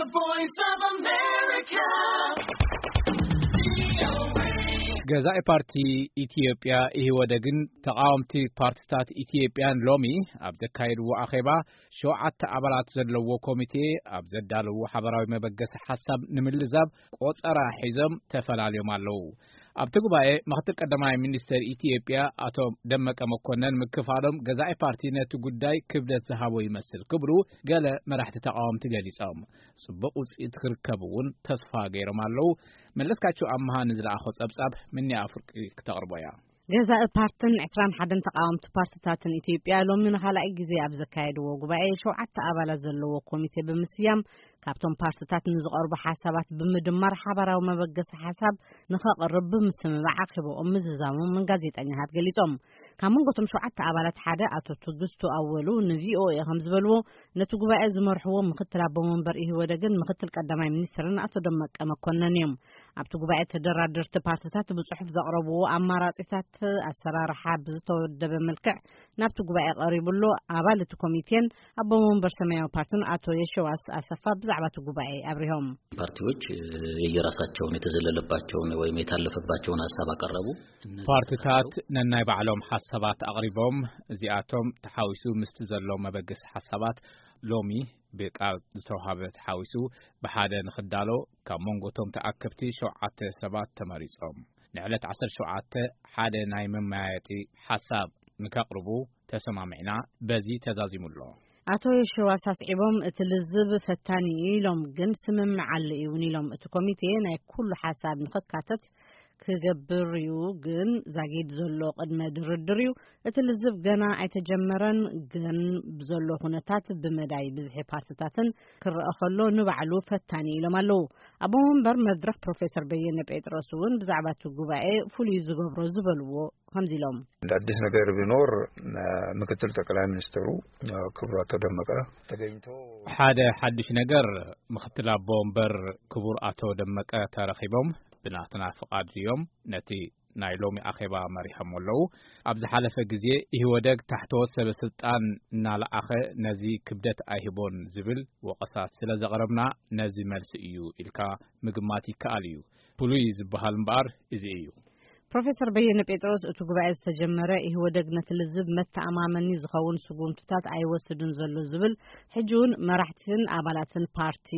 The Voice of America. ገዛኢ ፓርቲ ኢትዮጵያ ኢህወደግን ተቃወምቲ ፓርቲታት ኢትዮጵያን ሎሚ ኣብ ዘካየድዎ ኣኼባ ሸውዓተ ኣባላት ዘለዎ ኮሚቴ ኣብ ዘዳለዎ ሓበራዊ መበገሲ ሓሳብ ንምልዛብ ቆጸራ ሒዞም ተፈላልዮም ኣለዉ። ኣብቲ ጉባኤ ምክትል ቀዳማይ ሚኒስትር ኢትዮጵያ ኣቶ ደመቀ መኮነን ምክፋሎም ገዛኢ ፓርቲ ነቲ ጉዳይ ክብደት ዝሃቦ ይመስል ክብሉ ገለ መራሕቲ ተቃወምቲ ገሊጾም። ጽቡቕ ውጽኢት ክርከብ እውን ተስፋ ገይሮም ኣለዉ። መለስካቸው ኣምሃ ንዝለኣኾ ጸብጻብ ምኒ ኣፍርቂ ክተቕርቦ እያ። ገዛኢ ፓርትን ዕስራን ሓደን ተቃወምቲ ፓርቲታትን ኢትዮጵያ ሎሚ ንኻልኣይ ግዜ ኣብ ዘካየድዎ ጉባኤ ሸውዓተ ኣባላት ዘለዎ ኮሚቴ ብምስያም ካብቶም ፓርቲታት ንዝቐርቡ ሓሳባት ብምድማር ሓባራዊ መበገሲ ሓሳብ ንኸቕርብ ብምስምማዕ ኣኼባኦም ምዝዛሞም ጋዜጠኛታት ገሊጾም። ካብ መንጎቶም ሸውዓተ ኣባላት ሓደ ኣቶ ትግስቱ ኣወሉ ንቪኦኤ ከም ዝበልዎ ነቲ ጉባኤ ዝመርሕዎ ምክትል ኣቦ መንበር ኢህወደግን ምክትል ቀዳማይ ሚኒስትርን ኣቶ ደመቀ መኮነን እዮም። ኣብቲ ጉባኤ ተደራደርቲ ፓርቲታት ብጽሑፍ ዘቕረብዎ ኣማራጺታት ኣሰራርሓ ብዝተወደበ መልክዕ ናብቲ ጉባኤ ቀሪቡ ኣሎ። ኣባል እቲ ኮሚቴን ኣቦ መንበር ሰማያዊ ፓርቲን ኣቶ የሸዋስ ኣሰፋ ብዛዕባ እቲ ጉባኤ ኣብሪሆም። ፓርቲዎች የየራሳቸውን የተዘለለባቸውን ወይም የታለፈባቸውን ሀሳብ አቀረቡ። እነዚህ ፓርቲታት ነናይ ባዕሎም ሓሳባት ኣቕሪቦም፣ እዚኣቶም ተሓዊሱ ምስቲ ዘሎ መበገሲ ሓሳባት ሎሚ ብቃል ዝተዋሃበ ተሓዊሱ ብሓደ ንኽዳሎ ካብ መንጎቶም ተኣከብቲ ሸውዓተ ሰባት ተመሪጾም። ንዕለት ዓሰርተ ሸውዓተ ሓደ ናይ መመያየጢ ሓሳብ ንከቕርቡ ተሰማሚዕና፣ በዚ ተዛዚሙ ኣሎ። ኣቶ የሸዋስ ኣስዒቦም እቲ ልዝብ ፈታኒ እዩ ኢሎም፣ ግን ስምምዕ ኣሎ እውን ኢሎም። እቲ ኮሚቴ ናይ ኩሉ ሓሳብ ንኽካተት ክገብር እዩ፣ ግን ዛጊድ ዘሎ ቅድመ ድርድር እዩ። እቲ ልዝብ ገና ኣይተጀመረን፣ ግን ብዘሎ ኩነታት ብመዳይ ብዝሒ ፓርቲታትን ክረአ ከሎ ንባዕሉ ፈታኒ ኢሎም ኣለዉ። ኣቦ መንበር መድረኽ ፕሮፌሰር በየነ ጴጥሮስ እውን ብዛዕባ እቲ ጉባኤ ፍሉይ ዝገብሮ ዝበልዎ ከምዚ ኢሎም። እንደ አዲስ ነገር ቢኖር ምክትል ጠቅላይ ሚኒስትሩ ክቡር ኣቶ ደመቀ ተገኝቶ ሓደ ሓድሽ ነገር ምክትል ኣቦ ወንበር ክቡር ኣቶ ደመቀ ተረኺቦም ብናትና ፍቓድ እዮም ነቲ ናይ ሎሚ ኣኼባ መሪሖም ኣለዉ። ኣብ ዝሓለፈ ግዜ ኢህወደግ ታሕተዎት ሰበ ስልጣን እናለኣኸ ነዚ ክብደት ኣይህቦን ዝብል ወቐሳት ስለ ዘቕረብና ነዚ መልሲ እዩ ኢልካ ምግማት ይከኣል እዩ። ፍሉይ ዝበሃል እምበኣር እዚ እዩ። ፕሮፌሰር በየነ ጴጥሮስ እቲ ጉባኤ ዝተጀመረ ኢህወደግ ነቲ ልዝብ መተኣማመኒ ዝኸውን ስጉምትታት ኣይወስድን ዘሎ ዝብል ሕጂ እውን መራሕትን ኣባላትን ፓርቲ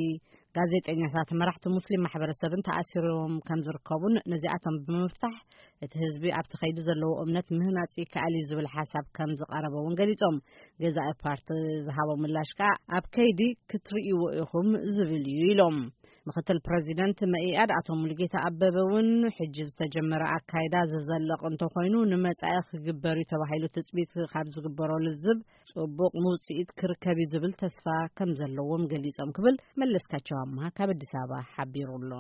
ጋዜጠኛታት መራሕቲ ሙስሊም ማሕበረሰብን ተኣሲሮም ከም ዝርከቡን ነዚኣቶም ብምፍታሕ እቲ ህዝቢ ኣብቲ ከይዲ ዘለዎ እምነት ምህናፅ ይከኣል እዩ ዝብል ሓሳብ ከም ዝቐረበ እውን ገሊፆም። ገዛኢ ፓርቲ ዝሃቦ ምላሽ ከዓ ኣብ ከይዲ ክትርእይዎ ኢኹም ዝብል እዩ ኢሎም። ምክትል ፕረዚደንት መኢኣድ ኣቶ ሙሉጌታ ኣበበ እውን ሕጂ ዝተጀመረ ኣካይዳ ዝዘለቕ እንተኾይኑ ንመጻኢ ክግበር እዩ ተባሂሉ ትጽቢት ካብ ዝግበሮ ልዝብ ጽቡቕ ውጽኢት ክርከብ እዩ ዝብል ተስፋ ከም ዘለዎም ገሊጾም ክብል መለስካቸው ኣምሃ ካብ ኣዲስ ኣበባ ሓቢሩ ኣሎ።